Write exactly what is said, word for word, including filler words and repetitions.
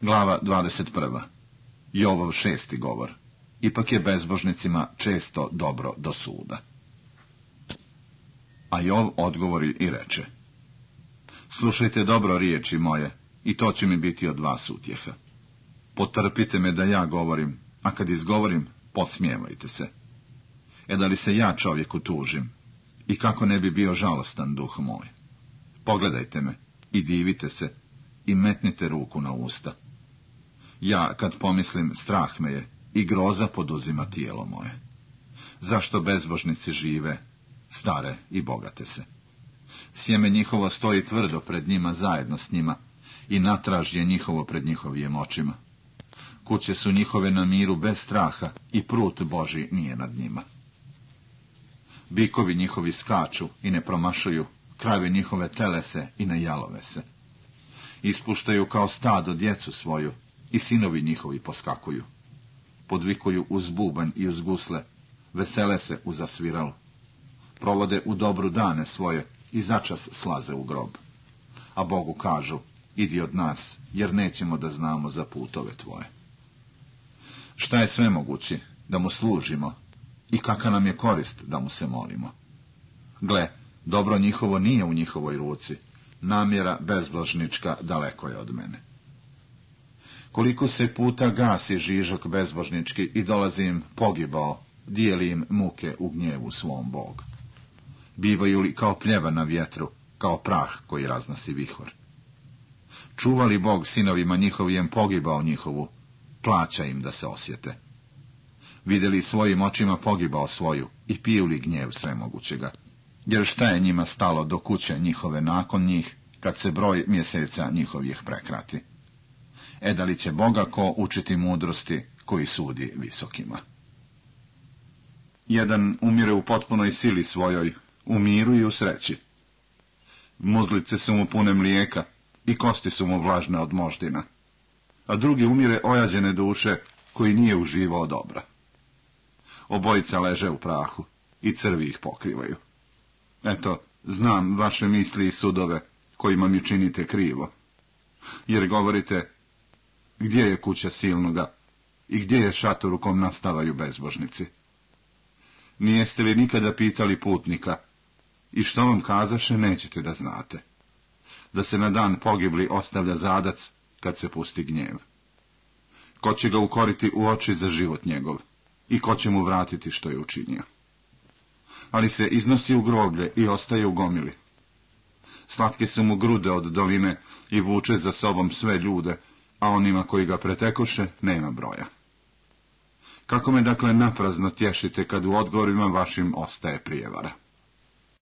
Glava dvadeset prva. Jovov šesti govor. Ipak je bezbožnicima često dobro do suda. A Jov odgovori i reče: slušajte dobro riječi moje, i to će mi biti od vas utjeha. Potrpite me da ja govorim, a kad izgovorim, podsmijevajte se. E da li se ja čovjeku tužim, i kako ne bi bio žalostan duh moj? Pogledajte me i divite se i metnite ruku na usta. Ja, kad pomislim, strah me je i groza poduzima tijelo moje. Zašto bezbožnici žive, stare i bogate se? Sjeme njihovo stoji tvrdo pred njima zajedno s njima i natraž je njihovo pred njihovim očima. Kuće su njihove na miru bez straha i prut Božji nije nad njima. Bikovi njihovi skaču i ne promašuju, krave njihove telese i ne jalove se. Ispuštaju kao stado djecu svoju i sinovi njihovi poskakuju. Podvikuju uz bubanj i uz gusle, vesele se u zasviralu. Provode u dobru dane svoje i začas slaze u grob. A Bogu kažu: idi od nas, jer nećemo da znamo za putove tvoje. Šta je svemogući, da mu služimo, i kakva nam je korist da mu se molimo? Gle, dobro njihovo nije u njihovoj ruci, namjera bezbožnička daleko je od mene. Koliko se puta gasi žižok bezbožnički i dolazi im pogibao, dijeli im muke u gnjevu svom Bog. Bivaju li kao pljeva na vjetru, kao prah koji raznosi vihor. Čuva li Bog sinovima njihovijem pogibao njihovu, plaća im da se osjete. Vidjeli svojim očima pogibao svoju i piju li gnjev svemogućega, jer šta je njima stalo do kuće njihove nakon njih, kad se broj mjeseca njihovih prekrati? E da li će Boga ko učiti mudrosti, koji sudi visokima? Jedan umire u potpunoj sili svojoj, u miru i u sreći. Muzlice su mu pune mlijeka i kosti su mu vlažne od moždina, a drugi umire ojađene duše, koji nije uživao dobra. Obojica leže u prahu i crvi ih pokrivaju. Eto, znam vaše misli i sudove, kojima mi činite krivo. Jer govorite: gdje je kuća silnoga i gdje je šator u kom nastavaju bezbožnici? Nijeste li nikada pitali putnika, i što vam kazaše nećete da znate? Da se na dan pogibli ostavlja zadac, kad se pusti gnjev. Ko će ga ukoriti u oči za život njegov, i ko će mu vratiti što je učinio? Ali se iznosi u groblje i ostaje u gomili. Slatke su mu grude od doline i vuče za sobom sve ljude, a onima koji ga pretekoše nema broja. Kako me dakle naprazno tješite, kad u odgovorima vašim ostaje prijevara?